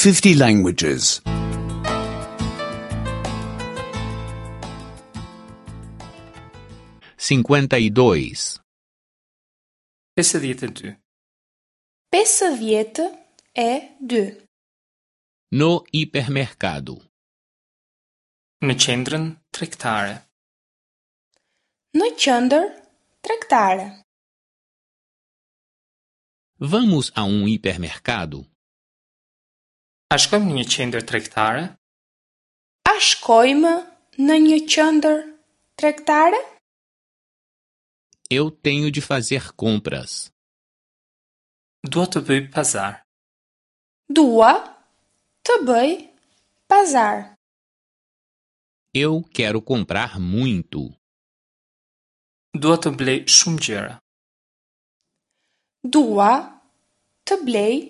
50 languages. 52. 52. 52. No hipermercado. Në qendrën tregtare. Në qendër tregtare. Vamos a um hipermercado? A shkojmë në një qendër tregtare? A shkojmë në një qendër tregtare? Eu tenho de fazer compras. Dua të bëj pazar. Dua të bëj pazar. Eu quero comprar muito. Dua të blej shumë gjëra. Dua të blej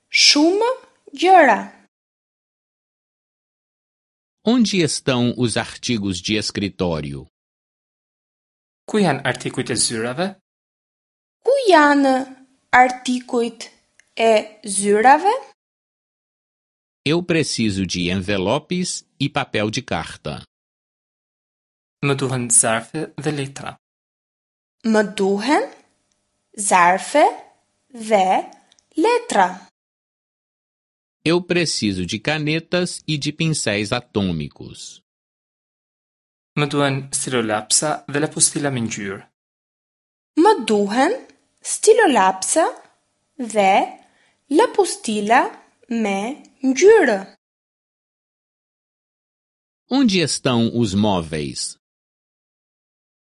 shumë gjëra. Onde estão os artigos de escritório? Ku janë artikujt e zyrave? Ku janë artikujt e zyrave? Eu preciso de envelopes e papel de carta. Më duhen zarfe dhe letra. Më duhen zarfe dhe letra. Eu preciso de canetas e de pincéis atômicos. Më duhen stilolapsa dhe lapustila me ngjyrë. Më duhen stilolapsa dhe lapustila me ngjyrë. Onde estão os móveis?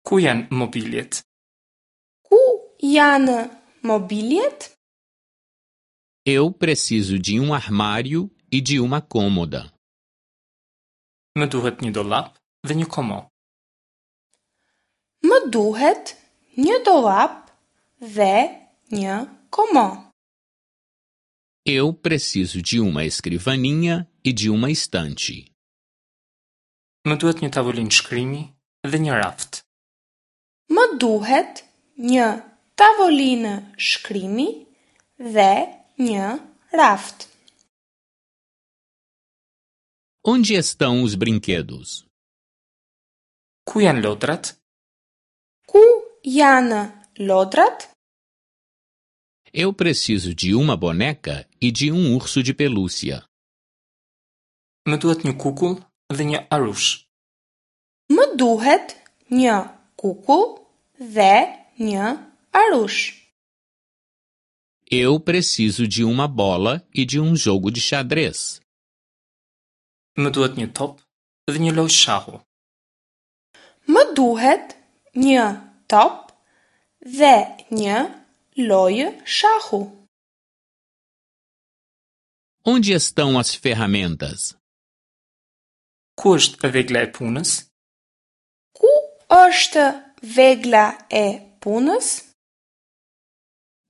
Ku janë mobiljet? Ku janë mobiljet? Eu preciso de um armário e de uma cômoda. Më duhet një dollap dhe një komo. Më duhet një dollap dhe një komo. Eu preciso de uma escrivaninha e de uma estante. Më duhet një tavolinë shkrimi dhe një raft. Më duhet një tavolinë shkrimi dhe një raft. Onde estão os brinquedos? Ku janë lodrat? Ku janë lodrat? Eu preciso de uma boneca e de um urso de pelúcia. Më duhet një kukull dhe një arush. Më duhet një kukull dhe një arush. Eu preciso de uma bola e de um jogo de xadrez. Më duhet një top dhe një lojë shahu. Më duhet një top dhe një lojë shahu. Onde estão as ferramentas? Ku është vegla e punës? Ku është vegla e punës?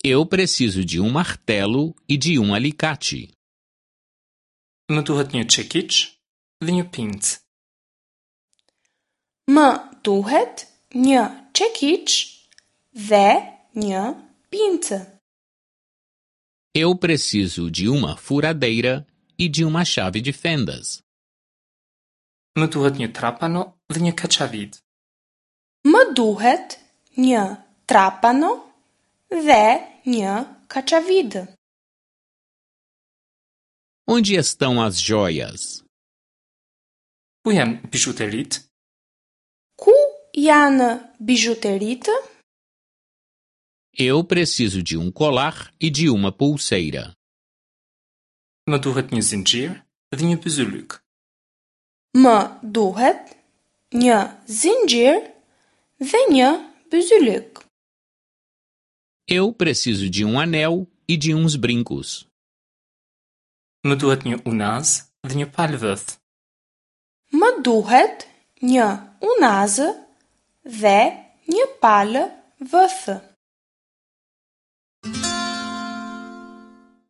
Eu preciso de um martelo e de um alicate. Më duhet një çekiç dhe një pincë. Më duhet një çekiç dhe një pincë. Eu preciso de uma furadeira e de uma chave de fendas. Më duhet një trapano dhe një kaçavid. Më duhet një trapano dhe një kaçavid. Onde estão as joias? Ku janë bizhuteritë? Ku janë bizhuteritë? Eu preciso de um colar e de uma pulseira. Më duhet një zinxhir dhe një byzylyk. Më duhet një zinxhir dhe një byzylyk. Eu preciso de um anel e de uns brincos. Më duhet një unazë dhe një palë vëth. Më duhet një unazë dhe një palë vëthë.